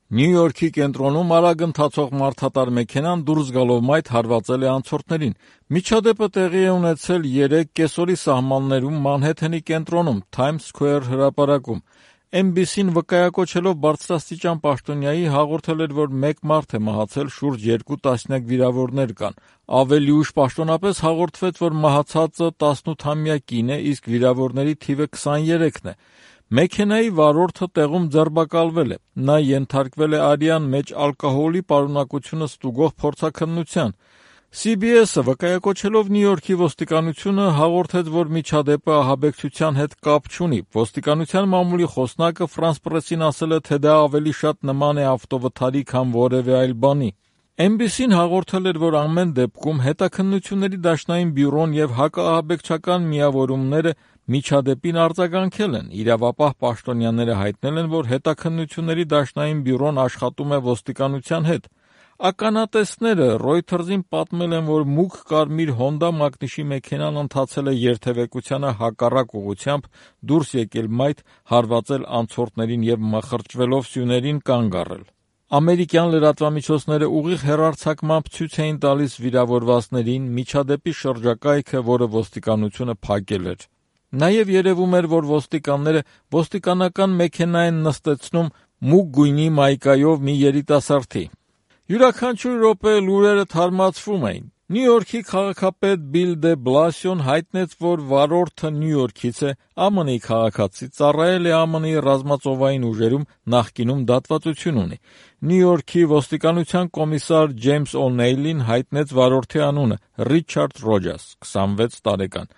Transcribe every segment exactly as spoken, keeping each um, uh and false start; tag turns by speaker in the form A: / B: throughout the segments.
A: Նյու Յորքի կենտրոնում արագ ընթացող մարդատար մեքենան դուրս գալով մայթ հարվածել է անցորդներին։ Միջադեպը տեղի է ունեցել երեկ կեսօրի սահմաններում Մանհեթենի կենտրոնում, Times Square հրապարակում։ Էն բի սին վկայակոչելով բարձրաստիճան պաշտոնյայի հաղորդել էր, որ մեկ մարդ է մահացել, շուրջ երկու տասնյակ վիրավորներ կան։ Ավելի ուշ պաշտոնապես հաղորդվեց, որ մահացածը տասնութամյա կին է, իսկ վիրավորների թիվը քսաներեքն է։ Մեքենայի վարորդը տեղում ձերբակալվել է։ Նա ենթարկվել է արյան մեջ ալկոհոլի պարունակությունը ստուգող փորձաքննության։ Սի Բի Էսը վկայակոչելով Նյու Յորքի ոստիկանությունը հաղորդեց, որ միջադեպը ահաբեկչության հետ կապ չունի։ Ոստիկանության մամուլի խոսնակը Ֆրանս Պրեսին ասել է, թե դա ավելի շատ նման է ավտովթարի, քան որևէ այլ բանի։ Էն Բի Սին հաղորդել էր, որ ամեն դեպքում հետաքննությունների դաշնային բյուրոն եւ հակաահաբեկչական միավորումները միջադեպին արձագանքել են։ Իրավապահ պաշտոնյաները հայտնել են, որ հետաքննությունների դաշնային բյուրոն աշխատում է ոստիկանության հետ։ Ականատեսները Reuters-ին պատմել են, որ մուգ կարմիր Honda մակնիշի մեքենան ընթացել է երթևեկությանը հակառակ ուղղությամբ, դուրս եկել մայթ, հարվածել անցորդներին եւ մխրճվելով սյուներին կանգ առել։ Ամերիկյան լրատվամիջոցները ուղիղ հեռարձակմամբ ցույց էին տալիս վիրավորվածներին միջադեպի շրջակայքը, որը ոստիկանությունը փակել էր։ Նաև երևում էր, որ ոստիկանները ոստիկանական մեքենա են նստեցնում մուգ գույնի մայկայով մի երիտասարդի։ Յուրաքանչյուր րոպե լուրերը թարմացվում էին։ Նյու Յորքի քաղաքապետ Բիլ դե Բլասիոն հայտնեց, որ վարորդը Նյու Յորքից է, Ա Մ Նի քաղաքացի, ծառայել է Ա Մ Նի ռազմածովային ուժերում, նախկինում դատվածություն ունի։ Նյու Յորքի ոստիկանության կոմիսար Ջեյմս Օ'Նեյլին հայտնեց վարորդի անունը՝ Ռիչարդ Ռոջաս, քսանվեց տարեկան։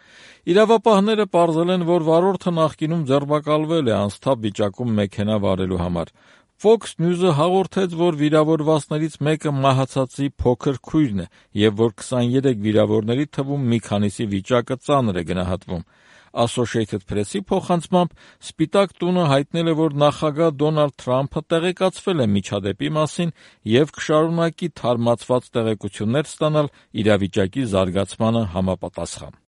A: Իրավապահները պարզել են, որ վարորդը նախկինում ձերբակալվել է անսթափ վիճակում մեքենա վարելու համար։ Fox News-ը հաղորդեց, որ վիրավորվածներից մեկը մահացածի փոքր քույրն է եւ որ քսաներեք վիրավորների թվում մի քանիսի վիճակը ծանր է գնահատվում։ Associated Press-ի փոխանցմամբ Սպիտակ տունը հայտնել է, որ նախագահ Դոնալդ Թրամփը տեղեկացվել է միջադեպի մասին եւ կշարունակի թարմացված տեղեկություններ ստանալ իրավիճակի զարգացմանը համապատասխան։